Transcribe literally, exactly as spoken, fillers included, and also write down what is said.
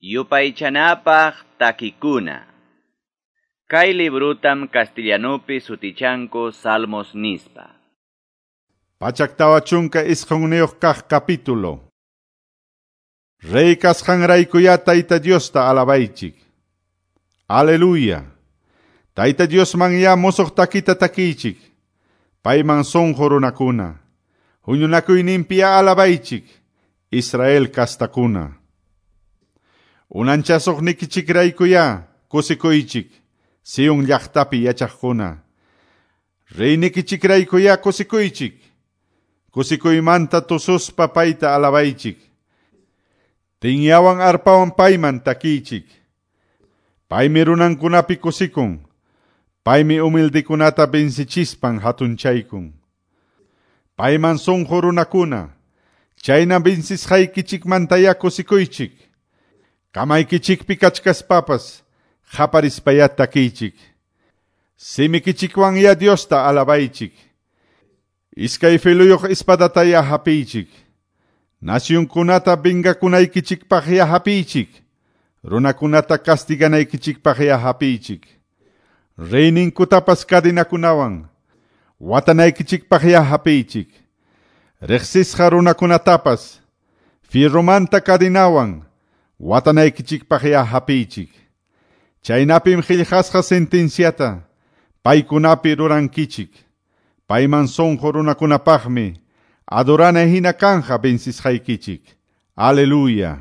Yupaychanapaq takikuna. Kay librutam castellanupi sutichanku Salmos nispa. Pachak tawa chunka isqunniyuq kaq capítulo. Rey kasqanraykuya Tayta Diosta alabaychik. Aleluya. Tayta Diosman ya musuq takita takiychik. Payman sunqu runakuna. Huñunakuyninpiya alabaychik. Israel kastakuna. Unanchasuqnikichikraykuya kusikuychik. Sion llaqtapi yachaqkuna. Reynikichikraykuya kusikuychik. Kusikuymanta tususpa payta alabaychik. Tinyawan arpawan payman takiychik. Paymi runankunapi kusikun. Paymi humildekunata vencichispan hatunchaykun. Payman sunqu runakuna. Chayna vencisqaykichikmantaya kusikuychik. Kamaykichikpi kachkaspapas qaparispaya takiychik. Simikichikwanya Diosta alabaychik. Iskay filuyuq espadataya hapiychik. Nasyunkunata vengakunaykichikpaqya hapiychik. Runakunata castiganaykichikpaqya hapiychik. Reyninkutapas cadinakunawan watanaykichikpaqya hapiychik. Riqsisqa runakunatapas fierromanta cadinawan watanaykichikpaqya hapiychik. Chaynapim qillqasqa sentenciata paykunapi rurankichik. Payman sunqu runakunapaqmi adorana hina kanja vencisqaykichik. Aleluya.